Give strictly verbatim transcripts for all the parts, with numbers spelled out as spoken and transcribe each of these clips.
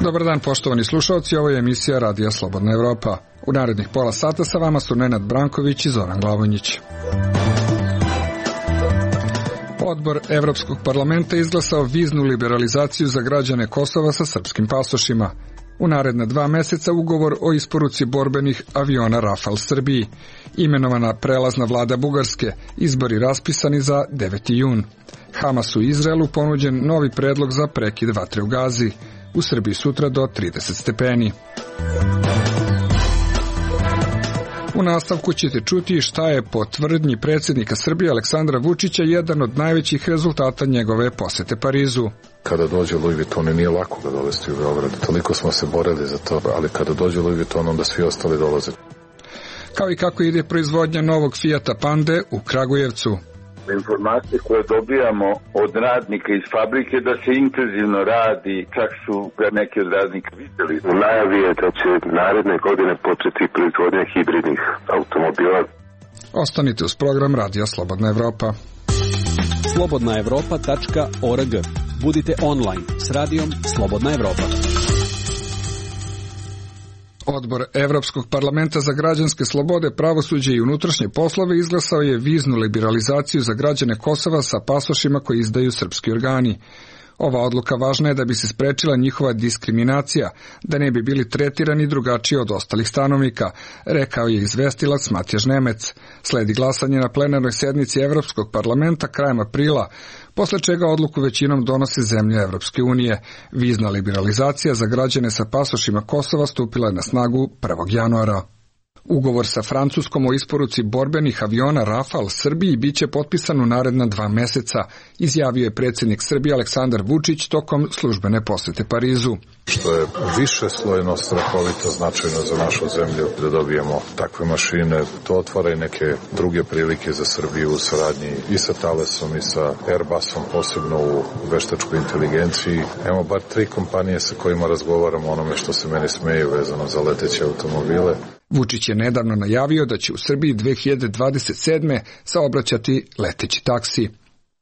Dobar dan, poštovani slušalci, ovo je emisija Radija Slobodna Evropa. U narednih pola sata sa vama su Nenad Branković i Zoran Glavonjić. Odbor Evropskog parlamenta izglasao viznu liberalizaciju za građane Kosova sa srpskim pasošima. U naredna dva meseca ugovor o isporuci borbenih aviona Rafal Srbiji. Imenovana prelazna vlada Bugarske, izbori raspisani za deveti jun. Hamasu i Izraelu ponuđen novi predlog za prekid vatre u Gazi. U Srbiji sutra do trideset stepeni. U nastavku ćete čuti šta je po tvrdnji predsjednika Srbije Aleksandra Vučića jedan od najvećih rezultata njegove posete Parizu. Kada dođe Louis Vuitton, nije lako ga dovesti u Beograd. Toliko smo se borili za to, ali kada dođe Louis Vuitton, onda svi ostali dolaze. Kao i kako ide proizvodnja novog Fijata Pande u Kragujevcu. Informacije koje dobijamo od radnika iz fabrike da se intenzivno radi, čak su ga neki od radnika vidjeli. U najavi je da će naredne godine početi proizvodnja hibridnih automobila. Ostanite uz program Radija Slobodna Evropa. slobodna evropa tačka org. Budite online s radijom Slobodna Evropa. Odbor Evropskog parlamenta za građanske slobode, pravosuđe i unutrašnje poslove izglasao je viznu liberalizaciju za građane Kosova sa pasošima koji izdaju srpski organi. Ova odluka važna je da bi se sprečila njihova diskriminacija, da ne bi bili tretirani drugačije od ostalih stanovnika, rekao je izvestilac Matjaž Nemec. Sledi glasanje na plenarnoj sednici Evropskog parlamenta krajem aprila, posle čega odluku većinom donose zemlje Evropske unije. Vizna liberalizacija za građane sa pasošima Kosova stupila je na snagu prvog januara. Ugovor sa Francuskom o isporuci borbenih aviona Rafal Srbiji biće potpisan u naredna dva meseca, izjavio je predsjednik Srbije Aleksandar Vučić tokom službene posete Parizu. Što je više slojno strahovito značajno za našu zemlju da dobijemo takve mašine, to otvara i neke druge prilike za Srbiju u saradnji i sa Thalesom i sa Airbusom, posebno u veštačkoj inteligenciji. Imamo bar tri kompanije sa kojima razgovaramo o onome što se meni smeje vezano za leteće automobile. Vučić je nedavno najavio da će u Srbiji dve hiljade dvadeset sedme saobraćati leteći taksi.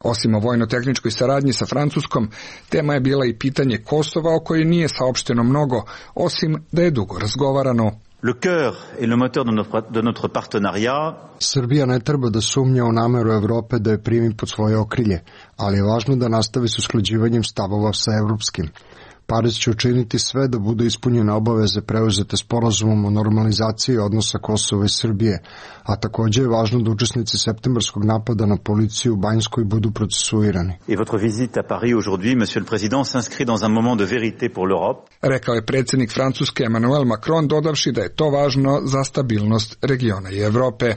Osim o vojno-tehničkoj saradnji sa Francuskom, tema je bila i pitanje Kosova o kojoj nije saopšteno mnogo, osim da je dugo razgovarano. Le cœur et le moteur de notre, de notre partenariat. Srbija ne treba da sumnja u nameru Evrope da je primi pod svoje okrilje, ali je važno da nastavi s usklađivanjem stavova sa evropskim. Pariz će učiniti sve da budu ispunjene obaveze preuzete sporazumom o normalizaciji odnosa Kosova i Srbije, a također je važno da učesnici septembarskog napada na policiju u Banjskoj budu procesuirani. Et votre visite à Paris aujourd'hui, monsieur le président, s'inscrit dans un moment de vérité pour l'Europe. Rekao je predsjednik Francuske Emmanuel Macron, dodavši da je to važno za stabilnost regiona i Evrope.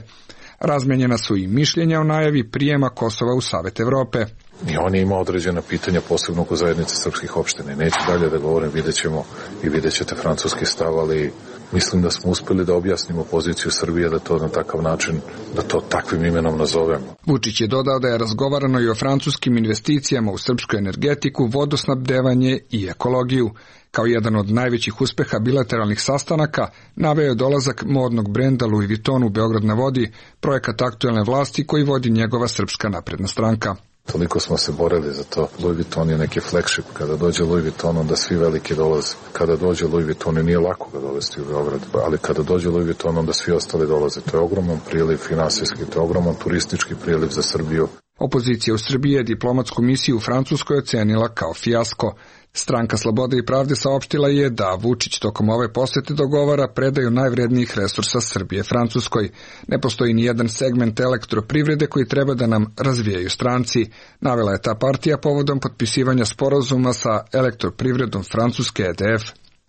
Razmenjena su i mišljenja o najavi prijema Kosova u Savet Evrope. I on je imao određena pitanja, posebno oko zajednice srpskih opština. Neću dalje da govorim, vidjet ćemo i vidjet ćete francuski stav, ali mislim da smo uspeli da objasnimo poziciju Srbije, da to na takav način, da to takvim imenom nazovemo. Vučić je dodao da je razgovarano i o francuskim investicijama u srpsku energetiku, vodosnabdevanje i ekologiju. Kao jedan od najvećih uspeha bilateralnih sastanaka naveo je dolazak modnog brenda Louis Vuitton u Beograd na vodi, projekat aktuelne vlasti koji vodi njegova Srpska napredna stranka. Toliko smo se borili za to. Louis Vuitton je neki flagship. Kada dođe Louis Vuitton, onda svi veliki dolaze. Kada dođe Louis Vuitton, nije lako ga dovesti u Beograd, ali kada dođe Louis Vuitton, onda svi ostali dolaze. To je ogroman priliv finansijski, to je ogroman turistički priliv za Srbiju. Opozicija u Srbiji je diplomatsku misiju u Francuskoj ocenila kao fijasko. Stranka Slobode i pravde saopštila je da Vučić tokom ove posete dogovara predaju najvrednijih resursa Srbije Francuskoj. Ne postoji ni jedan segment elektroprivrede koji treba da nam razvijaju stranci, navela je ta partija povodom potpisivanja sporazuma sa elektroprivredom Francuske E D F.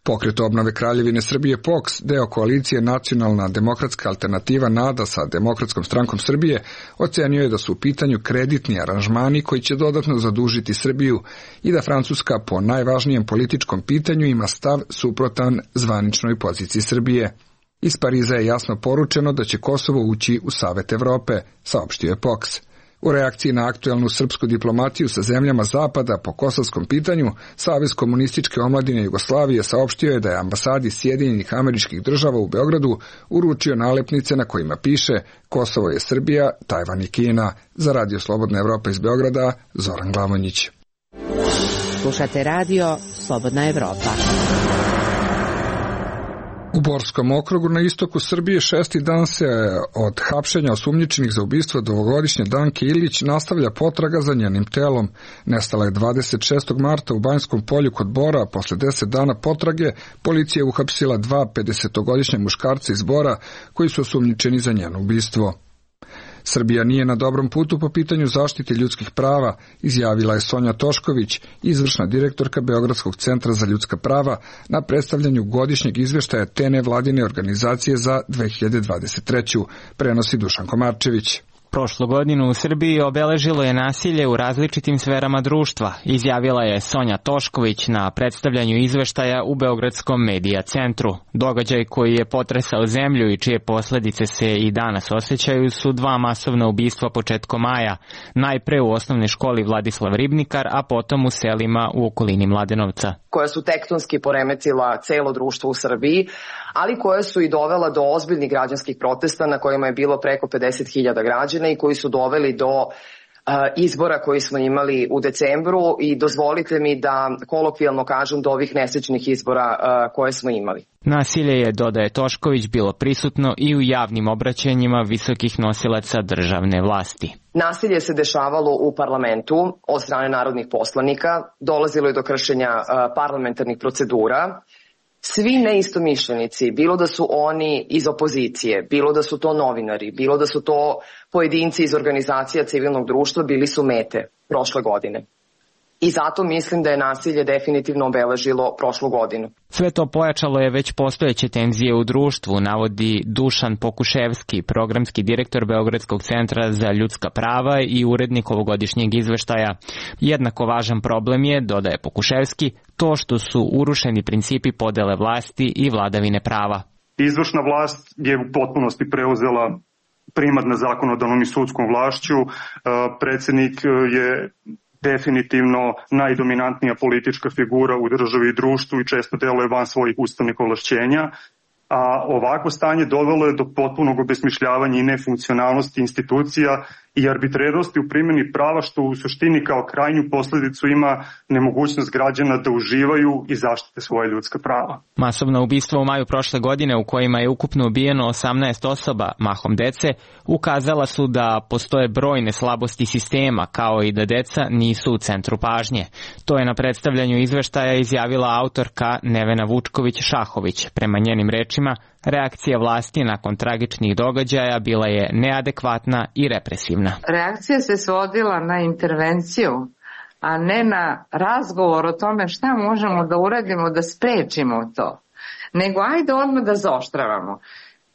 Pokret obnove Kraljevine Srbije P O K S, deo koalicije Nacionalna demokratska alternativa NADA sa Demokratskom strankom Srbije, ocenio je da su u pitanju kreditni aranžmani koji će dodatno zadužiti Srbiju i da Francuska po najvažnijem političkom pitanju ima stav suprotan zvaničnoj poziciji Srbije. Iz Pariza je jasno poručeno da će Kosovo ući u Savet Evrope, saopštio je P O K S. U reakciji na aktuelnu srpsku diplomatiju sa zemljama Zapada po kosovskom pitanju, Savez komunističke omladine Jugoslavije saopštio je da je ambasadi Sjedinjenih Američkih Država u Beogradu uručio nalepnice na kojima piše Kosovo je Srbija, Tajvan i Kina. Za Radio Slobodna Evropa iz Beograda, Zoran Glavonjić. Slušate radio Slobodna Evropa. U Borskom okrugu na istoku Srbije šesti dan se od hapšenja osumnjičenih za ubistvo dvogodišnje Danke Ilić nastavlja potraga za njenim telom. Nestala je dvadeset šestog marta u Banjskom polju kod Bora, a posle deset dana potrage policija je uhapsila dva pedesetogodišnja muškarca iz Bora koji su osumnjičeni za njeno ubistvo. Srbija nije na dobrom putu po pitanju zaštite ljudskih prava, izjavila je Sonja Tošković, izvršna direktorka Beogradskog centra za ljudska prava, na predstavljanju godišnjeg izveštaja te nevladine organizacije za dve hiljade dvadeset treću. Prenosi Dušan Komarčević. Prošlu godinu u Srbiji obeležilo je nasilje u različitim sferama društva, izjavila je Sonja Tošković na predstavljanju izveštaja u Beogradskom medija centru. Događaj koji je potresao zemlju i čije posledice se i danas osjećaju su dva masovna ubistva početkom maja, najpre u osnovnoj školi Vladislav Ribnikar, a potom u selima u okolini Mladenovca. Koja su tektonski poremetila celo društvo u Srbiji, ali koje su i dovela do ozbiljnih građanskih protesta na kojima je bilo preko pedeset hiljada građana i koji su doveli do uh, izbora koji smo imali u decembru i dozvolite mi da kolokvijalno kažem do ovih nesrećnih izbora uh, koje smo imali. Nasilje je, dodaje Tošković, bilo prisutno i u javnim obraćanjima visokih nosilaca državne vlasti. Nasilje se dešavalo u parlamentu od strane narodnih poslanika, dolazilo je do kršenja uh, parlamentarnih procedura. Svi neistomišljenici, bilo da su oni iz opozicije, bilo da su to novinari, bilo da su to pojedinci iz organizacija civilnog društva, bili su mete prošle godine. I zato mislim da je nasilje definitivno obeležilo prošlu godinu. Sve to pojačalo je već postojeće tenzije u društvu, navodi Dušan Pokuševski, programski direktor Beogradskog centra za ljudska prava i urednik ovogodišnjeg izveštaja. Jednako važan problem je, dodaje Pokuševski, to što su urušeni principi podele vlasti i vladavine prava. Izvršna vlast je u potpunosti preuzela primat nad zakonodavnom i sudskom vlašću. Predsjednik je definitivno najdominantnija politička figura u državi i društvu i često deluje van svojih ustavnih ovlašćenja, a ovako stanje dovelo je do potpunog obesmišljavanja i nefunkcionalnosti institucija i arbitrernosti u primjeni prava, što u suštini kao krajnju posledicu ima nemogućnost građana da uživaju i zaštite svoje ljudska prava. Masovna ubistva u maju prošle godine, u kojima je ukupno ubijeno osamnaest osoba, mahom dece, ukazala su da postoje brojne slabosti sistema, kao i da deca nisu u centru pažnje. To je na predstavljanju izveštaja izjavila autorka Nevena Vučković-Šahović. Prema njenim rečima, reakcija vlasti nakon tragičnih događaja bila je neadekvatna i represivna. Reakcija se svodila na intervenciju, a ne na razgovor o tome šta možemo da uradimo da sprečimo to. Nego ajde odmah da zaoštravamo.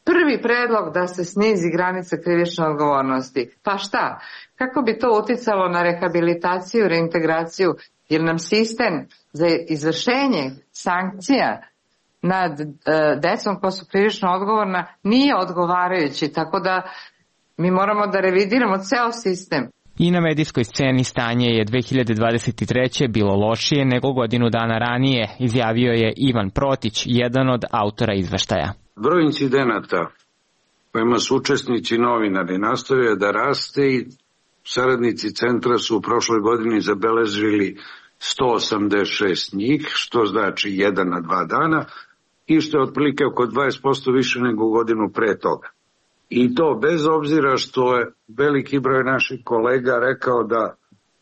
Prvi predlog da se snizi granica krivične odgovornosti. Pa šta? Kako bi to uticalo na rehabilitaciju, reintegraciju? Jer nam sistem za izvršenje sankcija nad e, decom koja su krivično odgovorna nije odgovarajući, tako da mi moramo da revidiramo ceo sistem. I na medijskoj sceni stanje je dve hiljade dvadeset treće bilo lošije nego godinu dana ranije, izjavio je Ivan Protić, jedan od autora izveštaja. Broj incidenata kojima su učesnici novinari nastavio da raste i saradnici centra su u prošloj godini zabeležili sto osamdeset šest njih, što znači jedan na dva dana, i što je otprilike oko dvadeset posto više nego godinu pre toga. I to bez obzira što je veliki broj naših kolega rekao da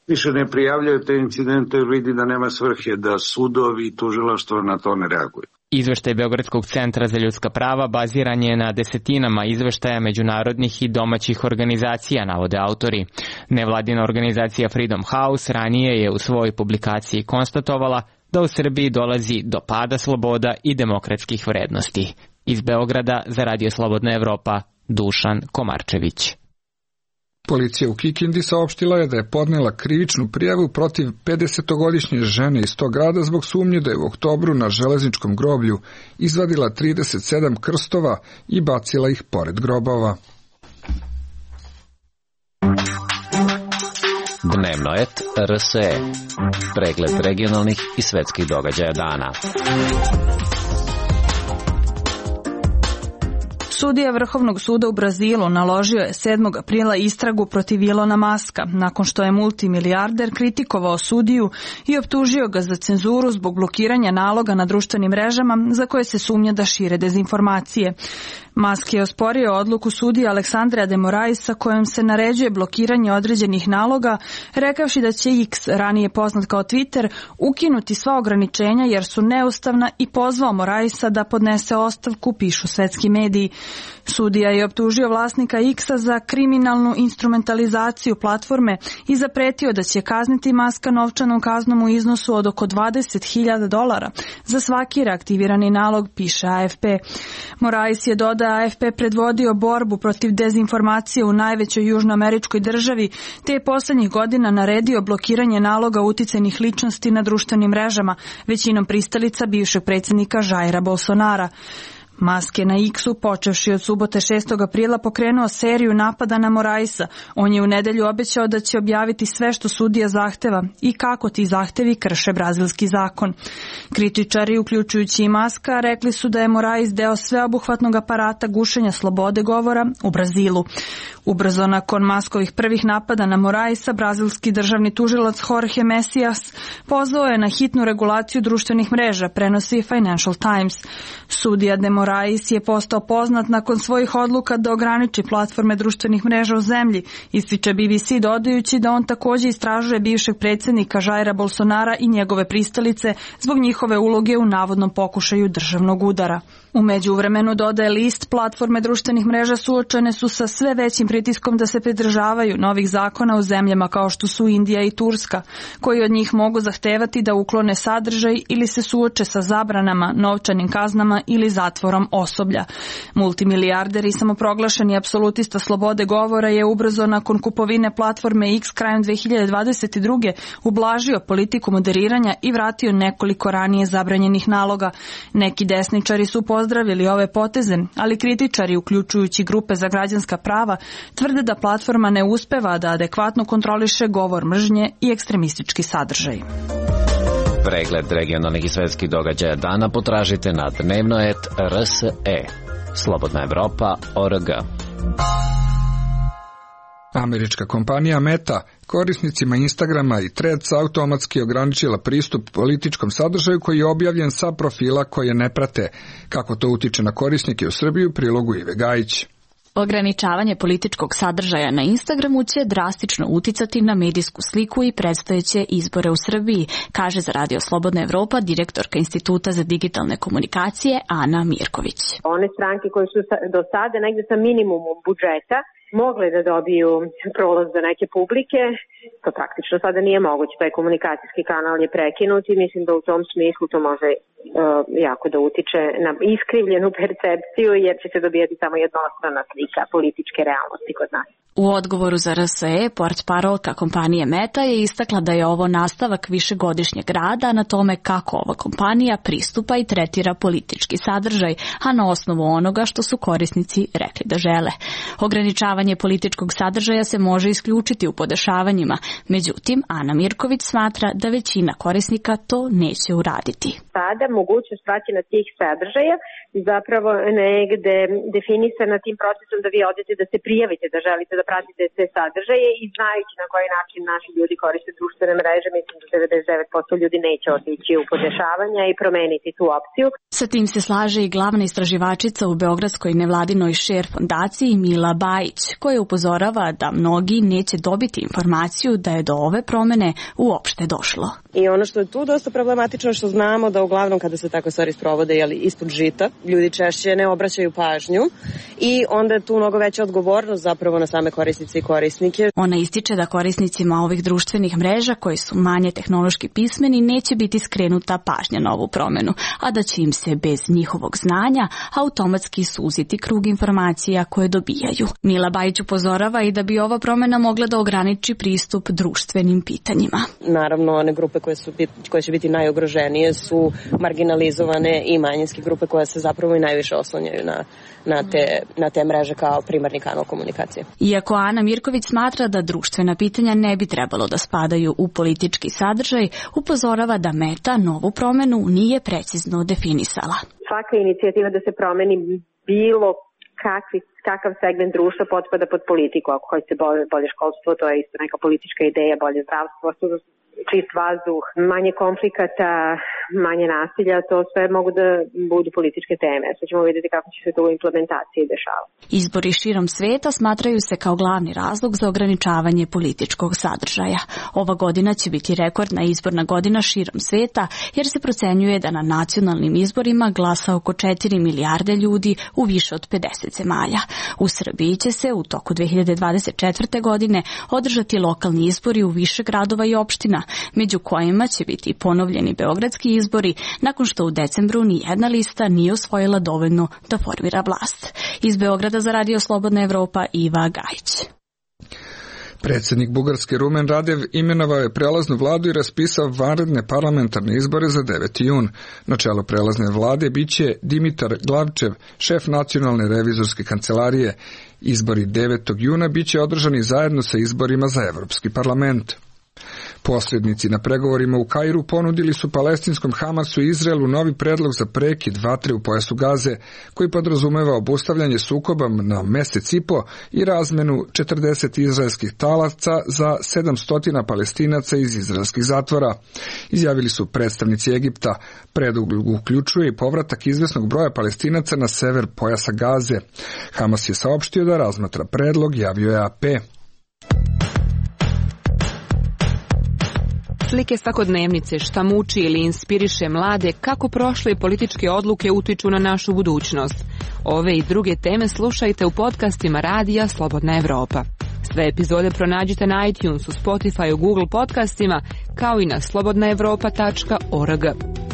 više ne prijavljaju te incidente jer vidi da nema svrhe, da sudovi i tužilaštvo na to ne reaguju. Izveštaj Beogradskog centra za ljudska prava baziran je na desetinama izveštaja međunarodnih i domaćih organizacija, navode autori. Nevladina organizacija Freedom House ranije je u svojoj publikaciji konstatovala da u Srbiji dolazi do pada sloboda i demokratskih vrednosti. Iz Beograda za Radio Slobodna Evropa, Dušan Komarčević. Policija u Kikindi saopštila je da je podnela krivičnu prijavu protiv pedesetogodišnje žene iz tog grada zbog sumnje da je u oktobru na železničkom groblju izvadila trideset sedam krstova i bacila ih pored grobova. Dnevno et R S E. Pregled regionalnih i svetskih događaja dana. Sudija Vrhovnog suda u Brazilu naložio je sedmog aprila istragu protiv Ilona Maska, nakon što je multimilijarder kritikovao sudiju i optužio ga za cenzuru zbog blokiranja naloga na društvenim mrežama za koje se sumnja da šire dezinformacije. Musk je osporio odluku sudija Aleksandra de Moraisa kojom se naređuje blokiranje određenih naloga, rekavši da će X, ranije poznat kao Twitter, ukinuti sva ograničenja jer su neustavna i pozvao Moraisa da podnese ostavku, pišu svetski mediji. Sudija je optužio vlasnika X-a za kriminalnu instrumentalizaciju platforme i zapretio da će kazniti Muska novčanom kaznom u iznosu od oko dvadeset hiljada dolara za svaki reaktivirani nalog, piše A F P. Morais je dodao A F P predvodio borbu protiv dezinformacije u najvećoj južnoameričkoj državi, te je poslednjih godina naredio blokiranje naloga uticajnih ličnosti na društvenim mrežama, većinom pristalica bivšeg predsjednika Jaira Bolsonara. Musk je na X-u, počevši od subote šestog aprila, pokrenuo seriju napada na Moraisa. On je u nedelju obećao da će objaviti sve što sudija zahteva i kako ti zahtevi krše brazilski zakon. Kritičari, uključujući i Muska, rekli su da je Morais deo sveobuhvatnog aparata gušenja slobode govora u Brazilu. Ubrzo nakon Muskovih prvih napada na Moraisa, brazilski državni tužilac Jorge Messias pozvao je na hitnu regulaciju društvenih mreža, prenosi Financial Times. Sudija de Morais je postao poznat nakon svojih odluka da ograniči platforme društvenih mreža u zemlji, ističe B B C dodajući da on takođe istražuje bivšeg predsjednika Jaira Bolsonara i njegove pristalice zbog njihove uloge u navodnom pokušaju državnog udara. U međuvremenu, dodaje list, platforme društvenih mreža suočene su sa sve većim pritiskom da se pridržavaju novih zakona u zemljama kao što su Indija i Turska, koji od njih mogu zahtevati da uklone sadržaj ili se suoče sa zabranama, novčanim kaznama ili zatvorom osoblja. Multimilijarder i samoproglašeni apsolutista slobode govora je ubrzo nakon kupovine platforme X krajem dve hiljade dvadeset druge ublažio politiku moderiranja i vratio nekoliko ranije zabranjenih naloga. Neki desničari su pozdravili ove poteze, ali kritičari, uključujući grupe za građanska prava, tvrde da platforma ne uspeva da adekvatno kontroliše govor mržnje i ekstremistički sadržaj. Pregled regionalnih i svetskih događaja dana potražite na dnevnoet R S E. Slobodna Evropa точка O R G. Američka kompanija Meta korisnicima Instagrama i Threads automatski ograničila pristup političkom sadržaju koji je objavljen sa profila koje ne prate. Kako to utiče na korisnike u Srbiji, u prilogu Ive Gajić. Ograničavanje političkog sadržaja na Instagramu će drastično uticati na medijsku sliku i predstojeće izbore u Srbiji, kaže za Radio Slobodna Evropa direktorka Instituta za digitalne komunikacije Ana Mirković. One stranke koje su do sada negde sa minimumom budžeta mogle da dobiju prolaz do neke publike, to praktično sada nije moguće, taj komunikacijski kanal je prekinut i mislim da u tom smislu to može uh, jako da utiče na iskrivljenu percepciju jer će se dobijati samo jednostrana slika političke realnosti kod nas. U odgovoru za R S E, portparolka kompanije Meta je istakla da je ovo nastavak višegodišnjeg rada na tome kako ova kompanija pristupa i tretira politički sadržaj, a na osnovu onoga što su korisnici rekli da žele. Ograničavanje političkog sadržaja se može isključiti u podešavanjima, međutim, Ana Mirković smatra da većina korisnika to neće uraditi. Sada mogućnost praćenja tih sadržaja zapravo negde definisana tim procesom da vi odete da se prijavite da želite da pratite te sadržaje i znajući na koji način naši ljudi koriste društvene mreže, mislim da devedeset devet posto ljudi neće otići u podešavanja i promeniti tu opciju. Sa tim se slaže i glavna istraživačica u Beogradskoj nevladinoj Share fondaciji Mila Bajić, koja upozorava da mnogi neće dobiti informaciju da je do ove promene uopšte došlo. I ono što je tu dosta problematično što znamo da uglavnom kada se takve stvari sprovode jeli, ispod žita, ljudi češće ne obraćaju pažnju i onda je tu mnogo veća odgovornost zapravo na same korisnice i korisnike. Ona ističe da korisnicima ovih društvenih mreža koji su manje tehnološki pismeni neće biti skrenuta pažnja na ovu promenu, a da će im se bez njihovog znanja automatski suziti krug informacija koje dobijaju. Mila Bajić upozorava i da bi ova promena mogla da ograniči pristup društvenim pitanjima. Naravno, one grupe koje, su, koje će biti najugroženije su marginalizovane i manjinske grupe koje se zapravo i najviše oslanjaju na, na, te, na te mreže kao primarni kanal komunikacije. Iako Ana Mirković smatra da društvena pitanja ne bi trebalo da spadaju u politički sadržaj, upozorava da Meta novu promenu nije precizno definisala. Svaka inicijativa da se promeni bilo kakvi, kakav segment društva potpada pod politiku. Ako hoćete bolje, bolje školstvo, to je isto neka politička ideja, bolje zdravstvo, čist vazduh, manje konflikata, manje nasilja, to sve mogu da budu političke teme. Sad ćemo vidjeti kako će se to u implementaciji dešavati. Izbori širom sveta smatraju se kao glavni razlog za ograničavanje političkog sadržaja. Ova godina će biti rekordna izborna godina širom sveta, jer se procenjuje da na nacionalnim izborima glasa oko četiri milijarde ljudi u više od pedeset zemalja. U Srbiji će se u toku dve hiljade dvadeset četvrte. godine održati lokalni izbori u više gradova i opština, među kojima će biti ponovljeni beogradski izbori nakon što u decembru ni jedna lista nije osvojila dovoljno da formira vlast. Iz Beograda za Radio Slobodna Evropa, Iva Gajić. Predsjednik Bugarske Rumen Radev imenovao je prelaznu vladu i raspisao vanredne parlamentarne izbore za deveti jun. Na čelu prelazne vlade biće Dimitar Glavčev, šef nacionalne revizorske kancelarije. Izbori devetog juna biće održani zajedno sa izborima za Evropski parlament. Posrednici na pregovorima u Kairu ponudili su palestinskom Hamasu i Izraelu novi predlog za prekid vatre u pojasu Gaze, koji podrazumeva obustavljanje sukoba na mesec i po i razmenu četrdeset izraelskih talaca za sedamsto Palestinaca iz izraelskih zatvora. Izjavili su predstavnici Egipta. Predlog uključuje i povratak izvesnog broja Palestinaca na sever pojasa Gaze. Hamas je saopštio da razmatra predlog, javio je A P. Slike svakodnevnice, šta muči ili inspiriše mlade, kako prošle političke odluke utiču na našu budućnost. Ove i druge teme slušajte u podcastima Radija Slobodna Evropa. Sve epizode pronađite na iTunesu, Spotifyu, Google podcastima, kao i na slobodna evropa tačka org.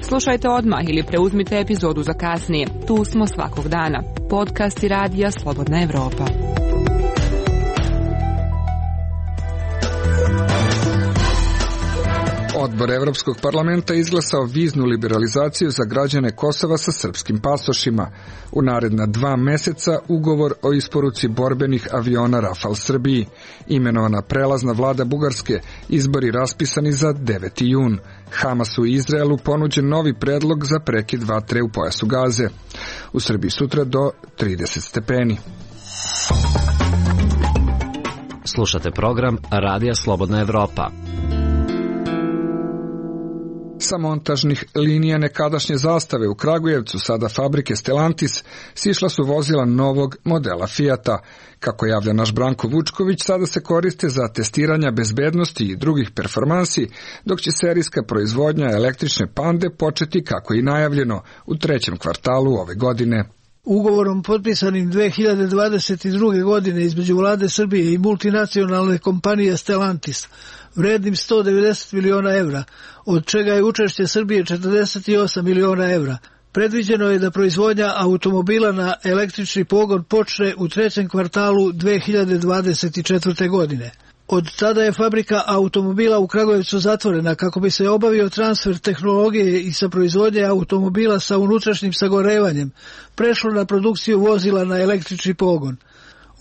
Slušajte odmah ili preuzmite epizodu za kasnije. Tu smo svakog dana. Podcasti Radija Slobodna Evropa. Odbor Evropskog parlamenta izglasao viznu liberalizaciju za građane Kosova sa srpskim pasošima. U naredna dva meseca ugovor o isporuci borbenih aviona Rafal Srbiji. Imenovana prelazna vlada Bugarske, izbori raspisani za deveti jun. Hamasu i Izraelu ponuđen novi predlog za prekid vatre u pojasu Gaze. U Srbiji sutra do trideset stepeni. Slušate program Radija Slobodna Evropa. Sa montažnih linija nekadašnje zastave u Kragujevcu, sada fabrike Stellantis, sišla su vozila novog modela Fijata. Kako javlja naš Branko Vučković, sada se koriste za testiranja bezbednosti i drugih performansi, dok će serijska proizvodnja električne Pande početi, kako i najavljeno, u trećem kvartalu ove godine. Ugovorom potpisanim dve hiljade dvadeset druge. godine između vlade Srbije i multinacionalne kompanije Stellantis, vrednim sto devedeset miliona evra, od čega je učešće Srbije četrdeset osam miliona evra. Predviđeno je da proizvodnja automobila na električni pogon počne u trećem kvartalu dve hiljade dvadeset četvrte. godine. Od tada je fabrika automobila u Kragujevcu zatvorena kako bi se obavio transfer tehnologije i sa proizvodnje automobila sa unutrašnjim sagorevanjem prešlo na produkciju vozila na električni pogon.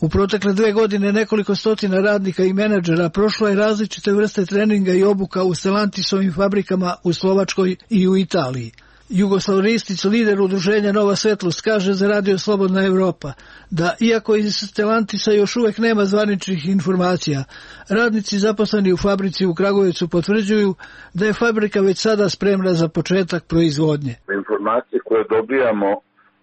U protekle dve godine nekoliko stotina radnika i menadžera prošlo je različite vrste treninga i obuka u Stellantisovim fabrikama u Slovačkoj i u Italiji. Jugoslav Ristić, lider udruženja Nova svetlost, kaže za Radio Slobodna Evropa da, iako iz Stellantisa još uvek nema zvaničnih informacija, radnici zaposleni u fabrici u Kragujevcu potvrđuju da je fabrika već sada spremna za početak proizvodnje. Informacije koje dobijamo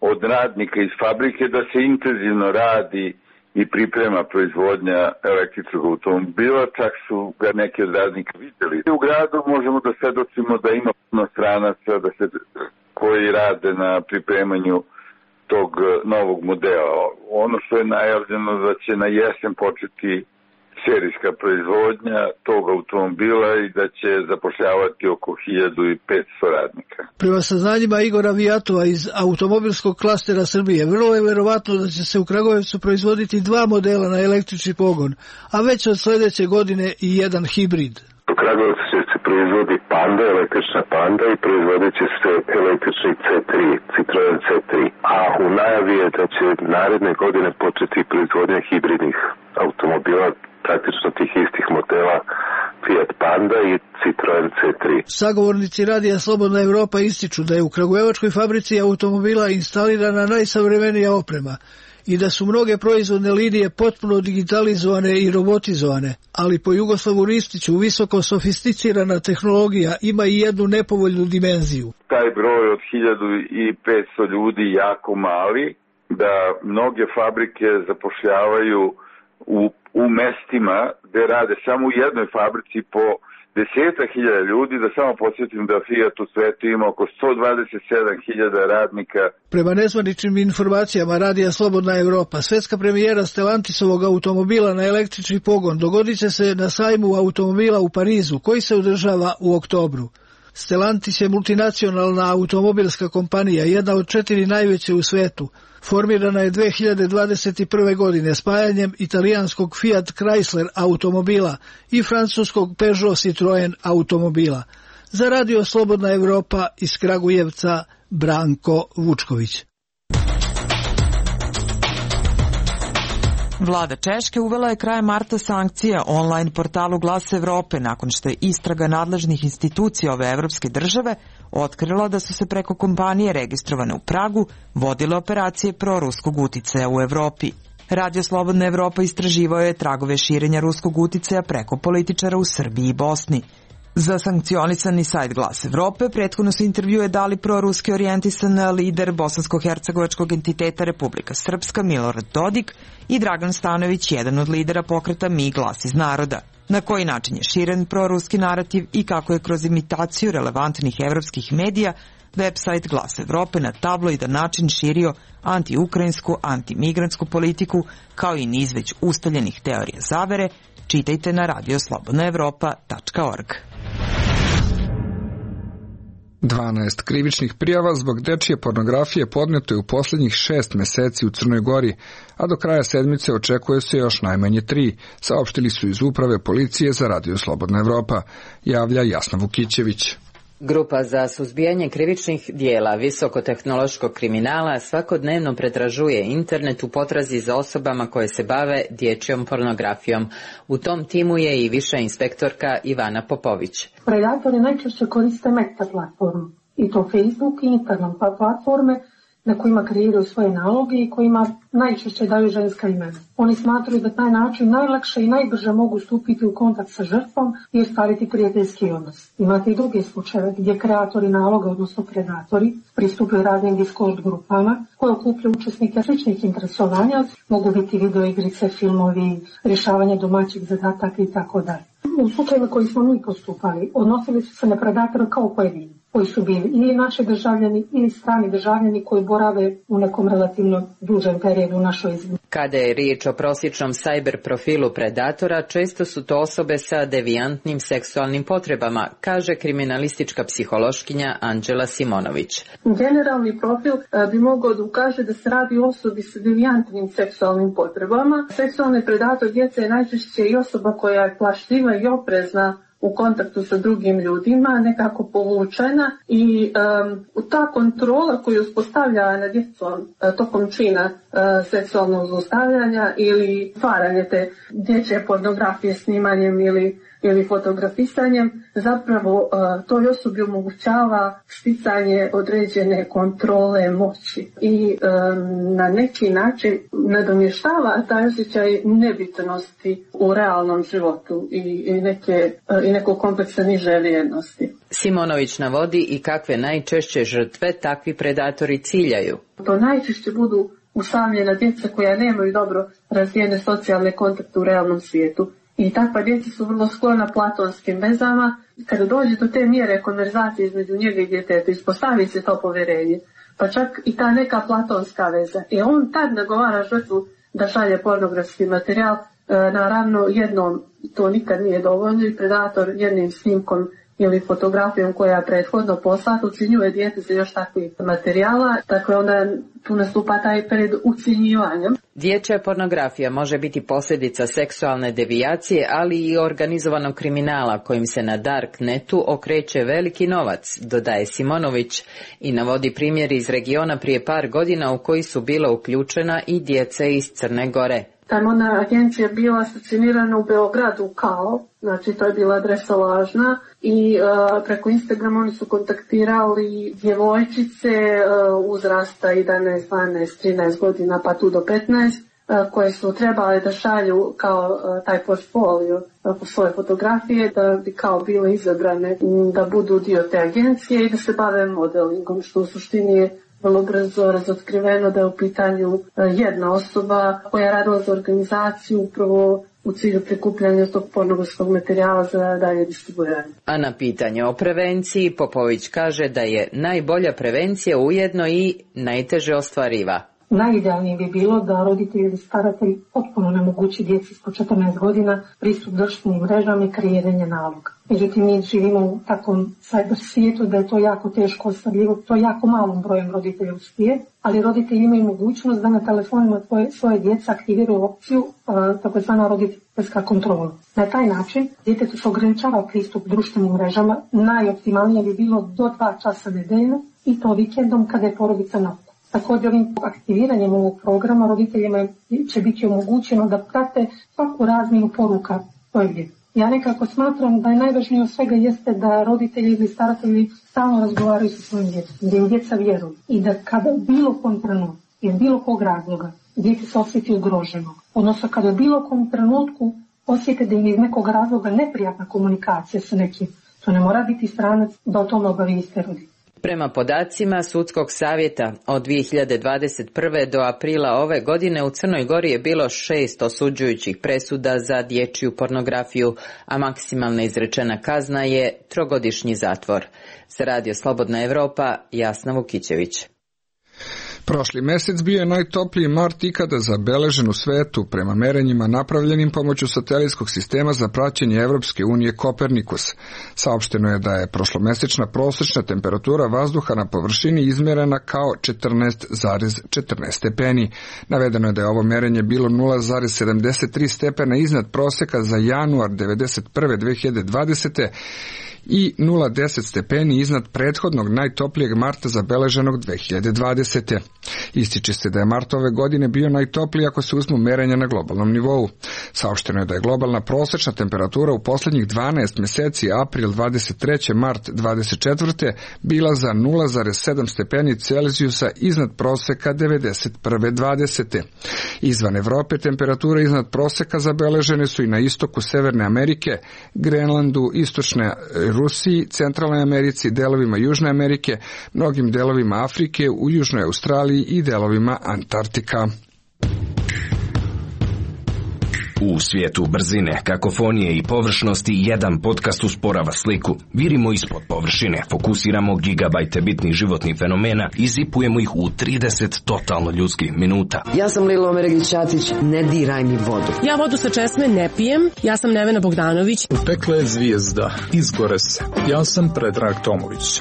od radnika iz fabrike da se intenzivno radi i priprema proizvodnja električnog automobila, čak su ga neki od radnika vidjeli. U gradu možemo da svedočimo da ima puno stranaca da se, koji rade na pripremanju tog novog modela. Ono što je najavljeno da će na jesen početi serijska proizvodnja tog automobila i da će zapošljavati oko hiljadu petsto radnika. Prema saznanjima Igora Vijatova iz automobilskog klastera Srbije, vrlo je verovatno da će se u Kragujevcu proizvoditi dva modela na električni pogon, a već od sledeće godine i jedan hibrid. U Kragujevcu će se proizvodi Panda, električna Panda, i proizvodit će se električni C tri, Citroen C tri. A u najavi je da će naredne godine početi proizvodnja hibridnih automobila, praktično tih istih modela Fiat Panda i Citroen C tri. Sagovornici Radija Slobodna Evropa ističu da je u kragujevačkoj fabrici automobila instalirana najsavremenija oprema i da su mnoge proizvodne linije potpuno digitalizovane i robotizovane, ali po Jugoslavu Ristiću visoko sofisticirana tehnologija ima i jednu nepovoljnu dimenziju. Taj broj od hiljadu petsto ljudi jako mali, da mnoge fabrike zapošljavaju u, u mestima gde rade samo u jednoj fabrici po desetak hiljada ljudi, da samo podsjetim da Fiat u svetu ima oko sto dvadeset sedam hiljada radnika. Prema nezvaničnim informacijama Radija Slobodna Evropa, svetska premijera Stellantisovog automobila na električni pogon dogodit će se na sajmu automobila u Parizu, koji se održava u oktobru. Stellantis je multinacionalna automobilska kompanija, jedna od četiri najveće u svetu. Formirana je dve hiljade dvadeset prve. godine spajanjem italijanskog Fiat Chrysler automobila i francuskog Peugeot Citroen automobila. Za Radio Slobodna Evropa iz Kragujevca, Branko Vučković. Vlada Češke uvela je krajem marta sankcija online portalu Glas Evrope nakon što je istraga nadležnih institucija ove evropske države otkrila da su se preko kompanije registrovane u Pragu vodile operacije proruskog uticaja u Evropi. Radio Slobodna Evropa istraživao je tragove širenja ruskog uticaja preko političara u Srbiji i Bosni. Za sankcionisani sajt Glas Evrope prethodno su intervjue dali proruski orijentisan lider bosansko-hercegovačkog entiteta Republika Srpska Milorad Dodik i Dragan Stanojević, jedan od lidera pokreta Mi glas iz naroda. Na koji način je širen proruski narativ i kako je kroz imitaciju relevantnih evropskih medija website Glas Evrope na tabloidan način širio anti-ukrajinsku, anti-migrantsku politiku, kao i niz već ustaljenih teorija zavere, čitajte na radio slobodna evropa tačka org. dvanaest krivičnih prijava zbog dečije pornografije podneto je u posljednjih šest meseci u Crnoj Gori, a do kraja sedmice očekuje se još najmanje tri, saopštili su iz uprave policije za Radio Slobodna Evropa, javlja Jasna Vukićević. Grupa za suzbijanje krivičnih dijela visokotehnološkog kriminala svakodnevno pretražuje internet u potrazi za osobama koje se bave dječjom pornografijom. U tom timu je i viša inspektorka Ivana Popović. Predatori najčešće koriste meta platformu, i to Facebook i Instagram platforme na kojima kreiraju svoje naloge i kojima najčešće daju ženska imena. Oni smatraju da taj način najlakše i najbrže mogu stupiti u kontakt sa žrtvom i ostvariti prijateljski odnos. Imate i druge slučajeve gdje kreatori naloga, odnosno predatori, pristupaju raznim Discord grupama koje okupljaju učesnike sličnih interesovanja, mogu biti videoigrice, filmovi, rješavanje domaćih zadataka i tako dalje. U slučajima koji smo mi postupali, odnosili su se na predatore kao pojedini, koji su bili ili naši državljani ili strani državljani koji borave u nekom relativno dužem periodu u našoj zemlji. Kada je riječ o prosječnom sajber profilu predatora, često su to osobe sa devijantnim seksualnim potrebama, kaže kriminalistička psihološkinja Anđela Simonović. Generalni profil bi mogao da ukaže da se radi o osobi sa devijantnim seksualnim potrebama. Seksualni predator djece je najčešće i osoba koja je plašljiva i oprezna u kontaktu sa drugim ljudima, nekako povučena i um, ta kontrola koju uspostavlja nad djecom uh, tokom čina uh, seksualnog zlostavljanja ili stvaranje te dječje pornografije snimanjem ili ili fotografisanjem, zapravo uh, toj osobi omogućava sticanje određene kontrole moći i um, na neki način nadomještava taj osjećaj nebitnosti u realnom životu i, i, neke, uh, i nekog kompleksa niže vrijednosti. Simonović navodi i kakve najčešće žrtve takvi predatori ciljaju. To najčešće budu usamljena djeca koja nemaju dobro razvijene socijalne kontakte u realnom svijetu. I takva djeca su vrlo sklona platonskim vezama. Kada dođe do te mjere konverzacije između njega i djeteta, ispostavi se to povjerenje, pa čak i ta neka platonska veza. I on tad nagovara žrtvu da šalje pornografski materijal. E, naravno, jednom to nikad nije dovoljno i predator jednim snimkom ili fotografijom koja je prethodno poslata ucjenjuje dijete za još takvih materijala, dakle onda tu nastupa taj period ucjenjivanja. Dječja pornografija može biti posljedica seksualne devijacije, ali i organizovanog kriminala kojim se na Darknetu okreće veliki novac, dodaje Simonović i navodi primjer iz regiona prije par godina u koji su bila uključena i djeca iz Crne Gore. Ta modna agencija bila stacionirana u Beogradu kao, znači to je bila adresa lažna i uh, preko Instagrama oni su kontaktirali djevojčice uh, uzrasta jedanaest, dvanaest, trinaest godina pa tu do petnaest uh, koje su trebale da šalju kao uh, taj portfolio uh, po svoje fotografije da bi kao bile izabrane um, da budu dio te agencije i da se bave modelingom, što u suštini je vrlo brzo razotkriveno da je u pitanju jedna osoba koja je radila za organizaciju upravo u cilju prikupljanja tog pornografskog materijala za dalje distribuiranje. A na pitanje o prevenciji Popović kaže da je najbolja prevencija ujedno i najteže ostvariva. Najidealnije bi bilo da roditelji ili staratelji potpuno nemogući djeci ispod četrnaest godina pristup društvenim mrežama i kreiranje naloga. Međutim, mi živimo u takvom cyber svijetu da je to jako teško ostvarljivo, to jako malom brojem roditelja uspije, ali roditelji imaju mogućnost da na telefonima svoje, svoje djece aktiviraju opciju takozvana roditeljska kontrola. Na taj način djetetu se ograničava pristup društvenim mrežama, najoptimalnije bi bilo do dva časa nedeljno i to vikendom kada je porodica na. Također ovim aktiviranjem ovog programa roditeljima će biti omogućeno da prate svaku razmjenu poruka svoje djece. Ja nekako smatram da je najvažnije od svega jeste da roditelji ili staratelji stalno razgovaraju sa svojim djecom, da im djeca vjeruju i da kada bilo kom trenutku, jer bilo kog razloga, djeci se osjeti ugroženo, odnosno kada bilo kom trenutku osjete da im je iz nekog razloga neprijatna komunikacija sa nekim, to ne mora biti stranac da o tome obavijeste roditelji. Prema podacima Sudskog savjeta od dvije hiljade dvadeset prve do aprila ove godine u Crnoj Gori je bilo šest osuđujućih presuda za dječju pornografiju, a maksimalna izrečena kazna je trogodišnji zatvor. Za Radio Slobodna Evropa, Jasna Vukićević. Prošli mesec bio je najtopliji mart ikada zabeležen u svetu prema merenjima napravljenim pomoću satelitskog sistema za praćenje Evropske unije Kopernikus. Saopšteno je da je prošlomesečna prosječna temperatura vazduha na površini izmerena kao četrnaest zarez četrnaest stepeni. Navedeno je da je ovo merenje bilo nula zarez sedamdeset tri stepena iznad proseka za januar devedeset prve do dve hiljade dvadesete i nula zarez deset stepeni iznad prethodnog najtoplijeg marta zabeleženog dve hiljade dvadesete. Ističe se da je mart ove godine bio najtopliji ako se uzmu merenja na globalnom nivou. Saopšteno je da je globalna prosječna temperatura u posljednjih dvanaest mjeseci april dvadeset treće mart dvadeset četvrte bila za nula zarez sedam stepeni Celzijusa iznad proseka devedeset prve dvadesete. Izvan Evrope temperature iznad proseka zabeležene su i na istoku Severne Amerike, Grenlandu, istočne Rusiji, Centralnoj Americi, delovima Južne Amerike, mnogim delovima Afrike, u Južnoj Australiji i delovima Antarktika. U svijetu brzine, kakofonije i površnosti jedan podcast usporava sliku. Virimo ispod površine, fokusiramo gigabajte bitnih životnih fenomena i zipujemo ih u trideset totalno ljudskih minuta. Ja sam Lilo Omeregić-Ćatić, ne diraj mi vodu. Ja vodu sa česme ne pijem, ja sam Nevena Bogdanović. Utekla je zvijezda, izgore se. Ja sam Predrag Tomović.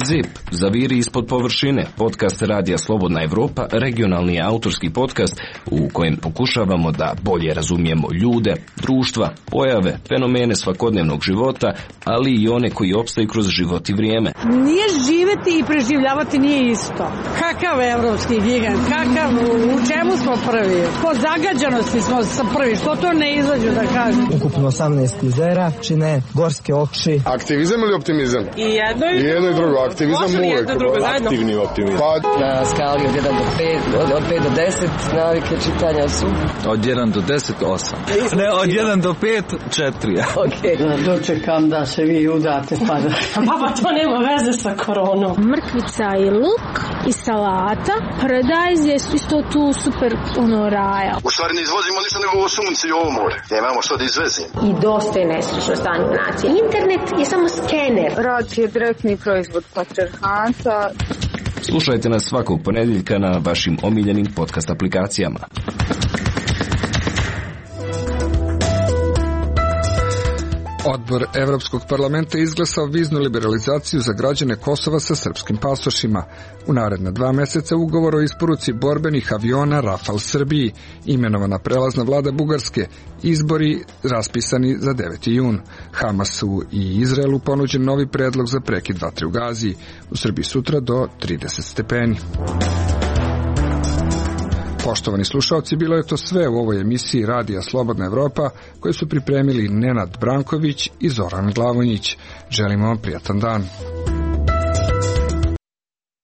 Zip, zaviri ispod površine, podcast Radija Slobodna Evropa, regionalni autorski podcast u kojem pokušavamo da bolje razumijemo ljude, društva, pojave, fenomene svakodnevnog života, ali i one koji opstaju kroz život i vrijeme. Nije živeti i preživljavati nije isto. Kakav evropski gigant, kakav, u čemu smo prvi? Po zagađanosti smo prvi, što to ne izađu da kažem? Ukupno osamnaest jezera, čine gorske oči. Aktivizam ili optimizam? I jedno i, I jedno i drugo. Aktivizam uvijek. Aktivni optimizam. Pa, na skali od jedan do pet, od, od pet do deset, navike čitanja su. Od jedan do deset, osam. Ne, od jedan do pet, četiri. Okej. Okay. Dočekam da se vi udate pa da... Pa to nema veze sa koronom. Mrkvica i luk i salata. Paradajz je isto tu super ono raja. U stvari ne izvozimo ništa nego ovo sunce i ovo more. Nemamo što da izvezimo. I dosta je nesrećno stanje nacije. Internet je samo skener. Rad je direktni proizvod patrijarhata. Slušajte nas svakog ponedjeljka na vašim omiljenim podcast aplikacijama. Odbor Evropskog parlamenta izglasao viznu liberalizaciju za građane Kosova sa srpskim pasošima. U naredna dva mjeseca ugovor o isporuci borbenih aviona Rafal Srbiji, imenovana prelazna vlada Bugarske, izbori raspisani za deveti jun. Hamasu i Izraelu ponuđen novi predlog za prekid vatre u Gaziji. U Srbiji sutra do trideset stepeni. Poštovani slušalci, bilo je to sve u ovoj emisiji Radija Slobodna Evropa koju su pripremili Nenad Branković i Zoran Glavonjić. Želimo vam prijatan dan.